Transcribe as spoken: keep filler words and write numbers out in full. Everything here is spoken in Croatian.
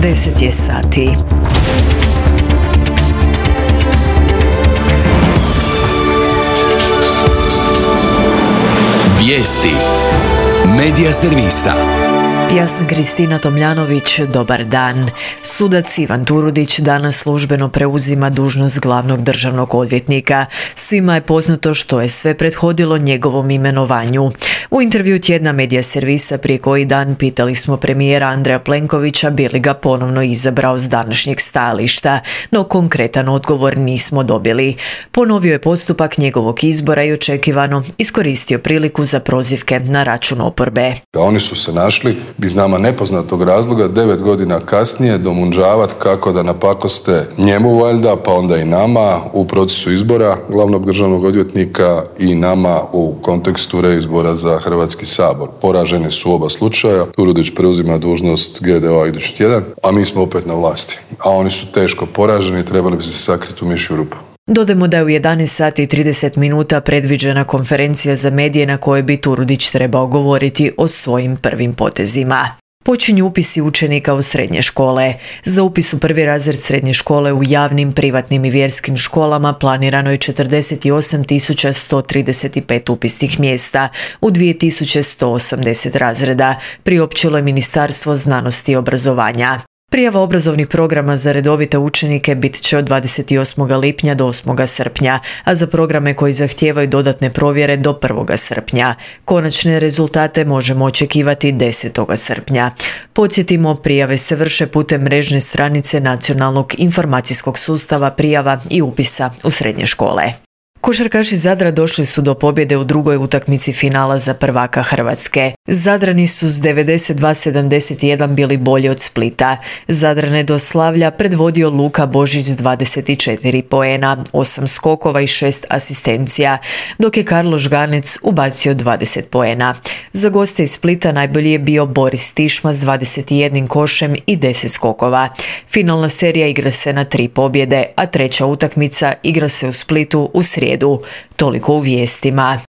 deset je sati. Vijesti Medija servisa. Ja sam Kristina Tomljanović, dobar dan. Sudac Ivan Turudić danas službeno preuzima dužnost glavnog državnog odvjetnika. Svima je poznato što je sve prethodilo njegovom imenovanju. U intervju tjedna Medija servisa prije koji dan pitali smo premijera Andreja Plenkovića bi li ga ponovno izabrao s današnjeg stajališta, no konkretan odgovor nismo dobili. Ponovio je postupak njegovog izbora i očekivano iskoristio priliku za prozivke na račun oporbe. Oni su se našli iz nama nepoznatog razloga devet godina kasnije domunđavat kako da napakoste njemu valjda, pa onda i nama u procesu izbora glavnog državnog odvjetnika i nama u kontekstu reizbora za Hrvatski sabor. Poraženi su oba slučaja. Turudić preuzima dužnost G D O-a idući tjedan, a mi smo opet na vlasti. A oni su teško poraženi i trebali bi se sakriti u mišju rupu. Dodajmo da je u jedanaest sati i trideset minuta predviđena konferencija za medije na kojoj bi Turudić trebao govoriti o svojim prvim potezima. Počinju upisi učenika u srednje škole. Za upis u prvi razred srednje škole u javnim, privatnim i vjerskim školama planirano je četrdeset osam tisuća sto trideset pet upisnih mjesta u dvije tisuće sto osamdeset razreda, priopćilo je Ministarstvo znanosti i obrazovanja. Prijava obrazovnih programa za redovite učenike bit će od dvadeset osmog lipnja do osmog srpnja, a za programe koji zahtijevaju dodatne provjere do prvog srpnja. Konačne rezultate možemo očekivati desetog srpnja. Podsjetimo, prijave se vrše putem mrežne stranice Nacionalnog informacijskog sustava prijava i upisa u srednje škole. Košarkaši Zadra došli su do pobjede u drugoj utakmici finala za prvaka Hrvatske. Zadrani su s devedeset dva sedamdeset jedan bili bolji od Splita. Zadrane do Slavlja predvodio Luka Božić s dvadeset četiri poena, osam skokova i šest asistencija, dok je Karlo Žganec ubacio dvadeset poena. Za goste iz Splita najbolji je bio Boris Tišma s dvadeset jedan košem i deset skokova. Finalna serija igra se na tri pobjede, a treća utakmica igra se u Splitu u srijedu. Toliko u vijestima.